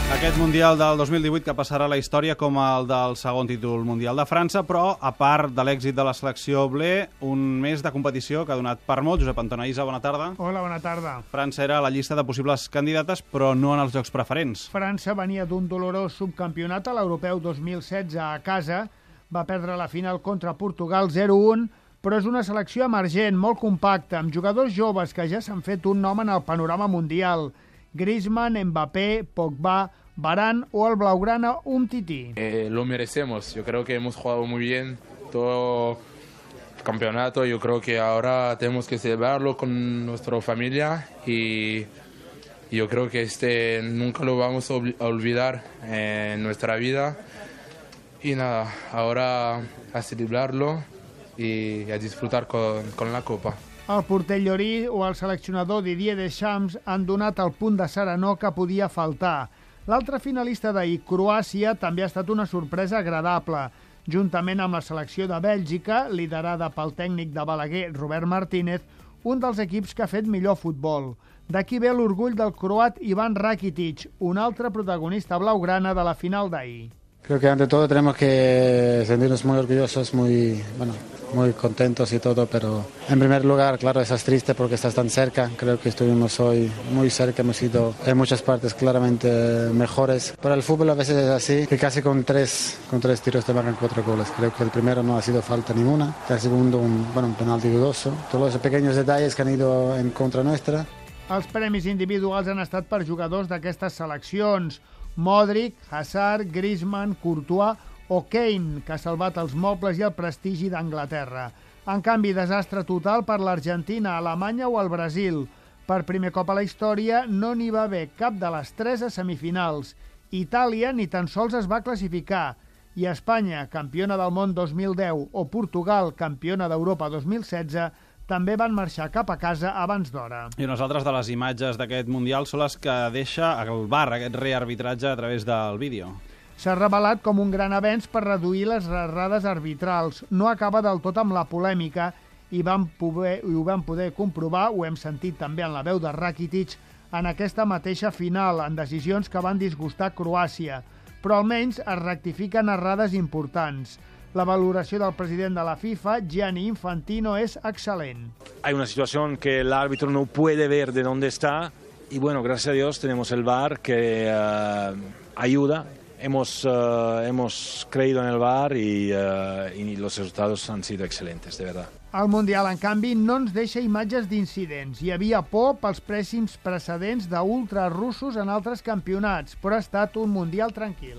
Aquest Mundial del 2018 que passarà a la història com el del segon títol mundial de França, però a part de l'èxit de la selecció blé, un mes de competició que ha donat per molt. Josep Antona Isa, bona tarda. Hola, bona tarda. França era a la llista de possibles candidates, però no en els jocs preferents. França venia d'un dolorós subcampionat a l'Europeu 2016 a casa, va perdre la final contra Portugal 0-1, però és una selecció emergent, molt compacta, amb jugadors joves que ja s'han fet un nom en el panorama mundial. Griezmann, Mbappé, Pogba, Varane o el blaugrana Umtiti. Lo merecemos, yo creo que hemos jugado muy bien todo el campeonato, yo creo que ahora tenemos que celebrarlo con nuestra familia y yo creo que nunca lo vamos a olvidar en nuestra vida y nada, ahora a celebrarlo y a disfrutar con la copa. El porter Llorí o el seleccionador Didier Deschamps han donat el punt de serenor que podia faltar. L'altre finalista d'ahir, Croàcia, també ha estat una sorpresa agradable. Juntament amb la selecció de Bèlgica, liderada pel tècnic de Balaguer, Robert Martínez, un dels equips que ha fet millor futbol. D'aquí ve l'orgull del croat Ivan Rakitic, un altre protagonista blaugrana de la final d'ahir. Creo que ante todo tenemos que sentirnos muy orgullosos, muy contentos y todo, pero en primer lugar, claro, estás triste porque estás tan cerca. Creo que estuvimos hoy muy cerca, hemos sido en muchas partes claramente mejores. Pero el fútbol a veces es así, que casi con tres tiros te marcan 4 goles. Creo que el primero no ha sido falta ninguna, el segundo un penalti dudoso. Todos esos pequeños detalles que han ido en contra nuestra. Els premis individuals han estat per jugadors d'aquestes seleccions. Modric, Hazard, Griezmann, Courtois o Kane, que ha salvat els mobles i el prestigi d'Anglaterra. En canvi, desastre total per l'Argentina, Alemanya o el Brasil. Per primer cop a la història no n'hi va haver cap de les 3 a semifinals. Itàlia ni tan sols es va classificar. I Espanya, campiona del món 2010, o Portugal, campiona d'Europa 2016, també van marxar cap a casa abans d'hora. I unes altres de les imatges d'aquest Mundial són les que deixa el VAR, aquest rearbitratge a través del vídeo. S'ha revelat com un gran avenç per reduir les errades arbitrals. No acaba del tot amb la polèmica i ho vam poder comprovar, ho hem sentit també en la veu de Rakitic, en aquesta mateixa final, en decisions que van disgustar Croàcia. Però almenys es rectifiquen errades importants. La valoració del president de la FIFA, Gianni Infantino, es excelente. Hay una situación que el árbitro no puede ver de dónde está y bueno, gracias a Dios tenemos el VAR que ayuda. Hemos creído en el VAR y los resultados han sido excelentes, de verdad. El Mundial, en canvi, no ens deixa imatges d'incidents. Hi havia por pels pèssims precedents d'ultrarussos en altres campionats, però ha estat un Mundial tranquil.